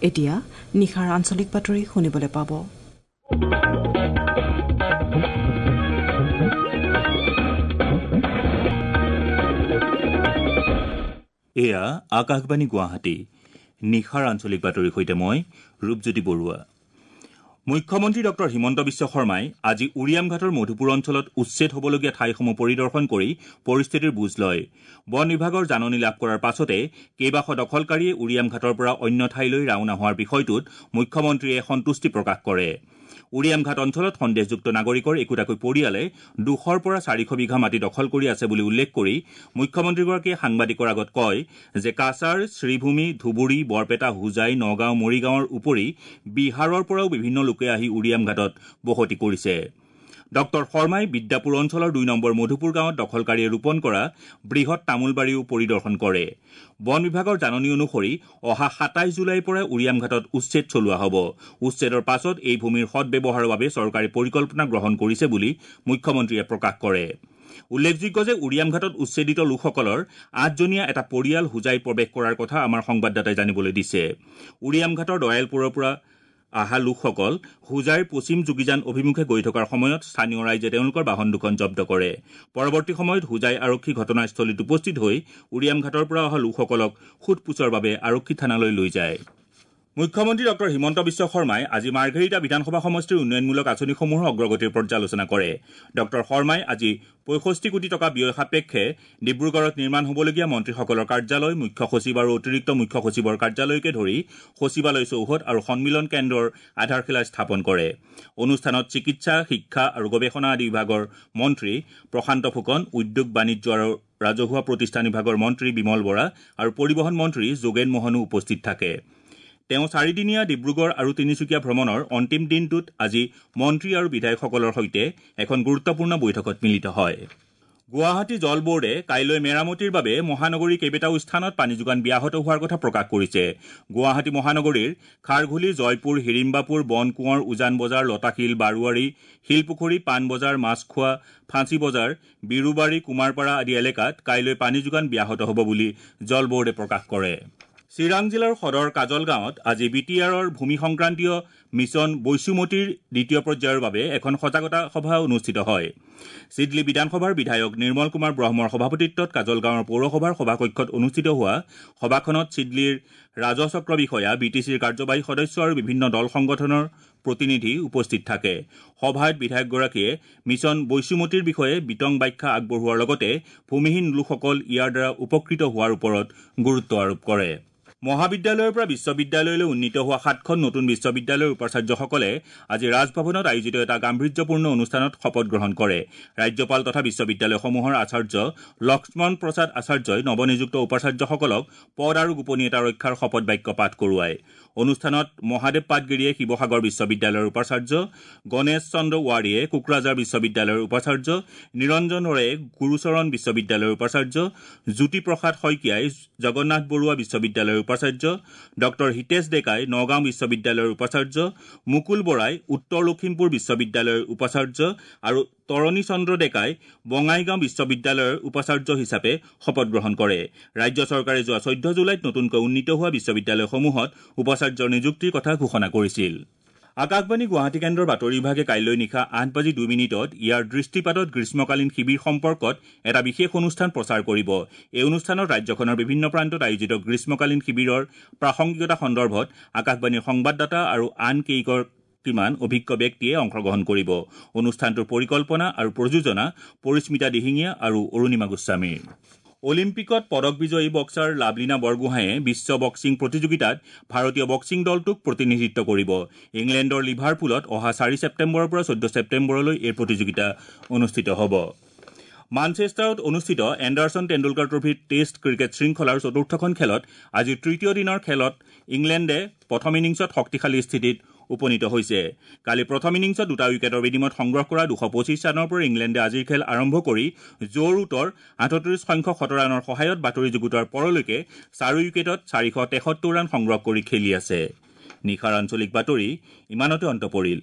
এতিয়া নিশাৰ আঞ্চলিক বাতৰি শুনিবলৈ পাব। এয়া আকাশবাণী গুৱাহাটী। নিশাৰ আঞ্চলিক বাতৰিৰ সৈতে মই ৰূপজ্যোতি বৰুৱা। মুখ্যমন্ত্ৰী ডক্টৰ হিমন্ত বিশ্ব শৰ্মাই আজি উৰিয়ামঘাটৰ মধুপুৰ অঞ্চলত উচ্ছেদ হ'বলগীয়া ঠাইসমূহ পৰিদৰ্শন কৰি পৰিস্থিতিৰ বুজ লয়। বন বিভাগৰ জাননী লাভ কৰাৰ পাছতে কেইবাশ দখলকাৰীয়ে উৰিয়ামঘাটৰ পৰা অন্য ঠাইলৈ ৰাওনা হোৱাৰ বিষয়টোত মুখ্যমন্ত্ৰীয়ে সন্তুষ্টি প্ৰকাশ কৰে। উৰিয়ামঘাট অঞ্চলত সন্দেহযুক্ত নাগৰিকৰ একোটাকৈ পৰিয়ালে 200ৰ পৰা 400 বিঘা মাটি দখল কৰি আছে বুলি উল্লেখ কৰি মুখ্যমন্ত্ৰীগৰাকীয়ে সাংবাদিকৰ আগত কয় যে কাছাৰ, শ্ৰীভূমি, ধুবুৰী, বৰপেটা, হোজাই, নগাঁও, মৰিগাঁৱৰ উপৰি বিহাৰৰ পৰাও বিভিন্ন লোকে আহি উৰিয়ামঘাটত বসতি কৰিছে। ডক্টৰ শৰ্মাই বিদ্যাপুৰ অঞ্চলৰ 2 নম্বৰ মধুপুৰ গাঁৱত দখলকাৰীয়ে ৰোপণ কৰা বৃহৎ তামোলবাৰীও পৰিদৰ্শন কৰে। বন বিভাগৰ জাননী অনুসৰি অহা 27 জুলাইৰ পৰা উৰিয়ামঘাটত উচ্ছেদ চলোৱা হ'ব। উচ্ছেদৰ পাছত এই ভূমিৰ সদ্ব্যৱহাৰৰ বাবে চৰকাৰে পৰিকল্পনা গ্ৰহণ কৰিছে বুলি মুখ্যমন্ত্ৰীয়ে প্ৰকাশ কৰে। উল্লেখযোগ্য যে উৰিয়ামঘাটত উচ্ছেদিত লোকসকলৰ 8জনীয়া এটা পৰিয়াল হোজাইত প্ৰৱেশ কৰাৰ কথা আমাৰ সংবাদদাতাই জানিবলৈ দিছে। উৰিয়ামঘাটৰ দয়ালপুৰৰ পৰা অহা লোকসকল হোজাইৰ পশ্চিম যোগীজান অভিমুখে গৈ থকাৰ সময়ত স্থানীয় ৰাইজে তেওঁলোকৰ বাহন দুখন জব্দ কৰে। পৰৱৰ্তী সময়ত হোজাই আৰক্ষী ঘটনাস্থলীত উপস্থিত হৈ উৰিয়ামঘাটৰ পৰা অহা লোকসকলক সোধ-পোছৰ বাবে আৰক্ষী থানালৈ লৈ যায়। মুখ্যমন্ত্ৰী ডক্টৰ হিমন্ত বিশ্ব শৰ্মাই আজি মাৰ্ঘেৰিটা বিধানসভা সমষ্টিৰ উন্নয়নমূলক আঁচনিসমূহৰ অগ্ৰগতিৰ পৰ্যালোচনা কৰে। ডক্টৰ শৰ্মাই আজি 65 কোটি টকা ব্যয় সাপেক্ষে ডিব্ৰুগড়ত নিৰ্মাণ হ'বলগীয়া মন্ত্ৰীসকলৰ কাৰ্যালয়, মুখ্য সচিব আৰু অতিৰিক্ত মুখ্য সচিবৰ কাৰ্যালয়কে ধৰি সচিবালয় চৌহদ আৰু সন্মিলন কেন্দ্ৰৰ আধাৰশিলা স্থাপন কৰে। অনুষ্ঠানত চিকিৎসা, শিক্ষা আৰু গৱেষণা আদি বিভাগৰ মন্ত্ৰী প্ৰশান্ত ফুকন, উদ্যোগ, বাণিজ্য আৰু ৰাজহুৱা প্ৰতিষ্ঠান বিভাগৰ মন্ত্ৰী বিমল বৰা আৰু পৰিবহণ মন্ত্ৰী যোগেন মোহনো উপস্থিত থাকে। তেওঁ চাৰিদিনীয়া ডিব্ৰুগড় আৰু তিনিচুকীয়া ভ্ৰমণৰ অন্তিম দিনটোত আজি মন্ত্ৰী আৰু বিধায়কসকলৰ সৈতে এখন গুৰুত্বপূৰ্ণ বৈঠকত মিলিত হয়। গুৱাহাটী জল বোৰ্ডে কাইলৈ মেৰামতিৰ বাবে মহানগৰীৰ কেইবাটাও স্থানত পানী যোগান ব্যাহত হোৱাৰ কথা প্ৰকাশ কৰিছে। গুৱাহাটী মহানগৰীৰ খাৰঘুলি, জয়পুৰ, হিৰিম্বাপুৰ, বনকোঁৱৰ, উজান বজাৰ, লতাশিল, বাৰোৱাৰী, শিলপুখুৰী, পাণবজাৰ, মাছখোৱা, ফাঁচী বজাৰ, বিৰুবাৰী, কুমাৰপাৰা আদি এলেকাত কাইলৈ পানী যোগান ব্যাহত হ'ব বুলি জল বোৰ্ডে প্ৰকাশ কৰে। চিৰাং জিলাৰ সদৰ কাজলগাঁৱত আজি বি টি আৰৰ ভূমি সংক্ৰান্তীয় মিছন বৈচুমতীৰ দ্বিতীয় পৰ্যায়ৰ বাবে এখন সজাগতা সভা অনুষ্ঠিত হয়। চিডলি বিধানসভাৰ বিধায়ক নিৰ্মল কুমাৰ ব্ৰহ্মৰ সভাপতিত্বত কাজলগাঁৱৰ পৌৰসভাৰ সভাকক্ষত অনুষ্ঠিত হোৱা সভাখনত চিডলিৰ ৰাজহচক্ৰ বিষয়া, বি টি চিৰ কাৰ্যবাহী সদস্য আৰু বিভিন্ন দল সংগঠনৰ প্ৰতিনিধি উপস্থিত থাকে। সভাত বিধায়কগৰাকীয়ে মিছন বৈচুমতীৰ বিষয়ে বিতং ব্যাখ্যা আগবঢ়োৱাৰ লগতে ভূমিহীন লোকসকল ইয়াৰ দ্বাৰা উপকৃত হোৱাৰ ওপৰত গুৰুত্ব আৰোপ কৰে। মহাবিদ্যালয়ৰ পৰা বিশ্ববিদ্যালয়লৈ উন্নীত হোৱা 7খন নতুন বিশ্ববিদ্যালয়ৰ উপাচাৰ্যসকলে আজি ৰাজভৱনত আয়োজিত এটা গাম্ভীৰ্যপূৰ্ণ অনুষ্ঠানত শপত গ্ৰহণ কৰে। ৰাজ্যপাল তথা বিশ্ববিদ্যালয়সমূহৰ আচাৰ্য লক্ষ্মণ প্ৰসাদ আচাৰ্যই নৱনিযুক্ত উপাচাৰ্যসকলক পদ আৰু গোপনীয়তা ৰক্ষাৰ শপত বাক্য পাঠ কৰোৱায়। অনুষ্ঠানত মহাদেৱ পাটগিৰিয়ে শিৱসাগৰ বিশ্ববিদ্যালয়ৰ উপাচাৰ্য, গণেশ চন্দ্ৰ ৱাৰীয়ে কোকৰাঝাৰ বিশ্ববিদ্যালয়ৰ উপাচাৰ্য, নিৰঞ্জন ৰয়ে গুৰুচৰণ বিশ্ববিদ্যালয়ৰ উপাচাৰ্য, জ্যোতিপ্ৰসাদ শইকীয়াই জগন্নাথ বৰুৱা বিশ্ববিদ্যালয়ৰ উপাচাৰ্য, ডক্টৰ হিতেশ ডেকাই নগাঁও বিশ্ববিদ্যালয়ৰ উপাচাৰ্য, মুকুল বৰাই উত্তৰ লখিমপুৰ বিশ্ববিদ্যালয়ৰ উপাচাৰ্য আৰু তৰণী চন্দ্ৰ ডেকাই বঙাইগাঁও বিশ্ববিদ্যালয়ৰ উপাচাৰ্য হিচাপে শপত গ্ৰহণ কৰে। ৰাজ্য চৰকাৰে যোৱা 14 জুলাইত নতুনকৈ উন্নীত হোৱা বিশ্ববিদ্যালয়সমূহত উপাচাৰ্যৰ নিযুক্তিৰ কথা ঘোষণা কৰিছিল। আকাশবাণী গুৱাহাটী কেন্দ্ৰৰ বাতৰি বিভাগে কাইলৈ নিশা 8:02 ইয়াৰ দৃষ্টিপাতত গ্ৰীষ্মকালীন শিবিৰ সম্পৰ্কত এটা বিশেষ অনুষ্ঠান প্ৰচাৰ কৰিব। এই অনুষ্ঠানত ৰাজ্যখনৰ বিভিন্ন প্ৰান্তত আয়োজিত গ্ৰীষ্মকালীন শিবিৰৰ প্ৰাসংগিকতা সন্দৰ্ভত আকাশবাণীৰ সংবাদদাতা আৰু আন কেইগৰাকীমান অভিজ্ঞ ব্যক্তিয়ে অংশগ্ৰহণ কৰিব। অনুষ্ঠানটোৰ পৰিকল্পনা আৰু প্ৰযোজনা পৰিস্মিতা দিহিঙীয়া আৰু অৰুণিমা গোস্বামীৰ। অলিম্পিকত পদক বিজয়ী বক্সাৰ লাভলীনা বৰগোহাঁয়ে বিশ্ব বক্সিং প্ৰতিযোগিতাত ভাৰতীয় বক্সিং দলটোক প্ৰতিনিধিত্ব কৰিব। ইংলেণ্ডৰ লিভাৰপুলত অহা 4 ছেপ্টেম্বৰৰ পৰা 14 ছেপ্টেম্বৰলৈ এই প্ৰতিযোগিতা অনুষ্ঠিত হ'ব। মানচেষ্টাৰত অনুষ্ঠিত এণ্ডাৰছন টেণ্ডুলকাৰ ট্ৰফীৰ টেষ্ট ক্ৰিকেট শৃংখলাৰ চতুৰ্থখন খেলত আজি তৃতীয় দিনৰ খেলত ইংলেণ্ডে প্ৰথম ইনিংছত শক্তিশালী স্থিতিত উপনীত হৈছে। কালি প্ৰথম ইনিংছত 2টা উইকেটৰ বিনিময়ত সংগ্ৰহ কৰা 225 ৰানৰ পৰা ইংলেণ্ডে আজিৰ খেল আৰম্ভ কৰি জো ৰুটৰ 38 সংখ্যক শতৰানৰ সহায়ত বাতৰি যুগুতোৱাৰ পৰলৈকে 4 উইকেটত 473 ৰান সংগ্ৰহ কৰি খেলি আছে। নিশাৰ আঞ্চলিক বাতৰি ইমানতে অন্ত পৰিল।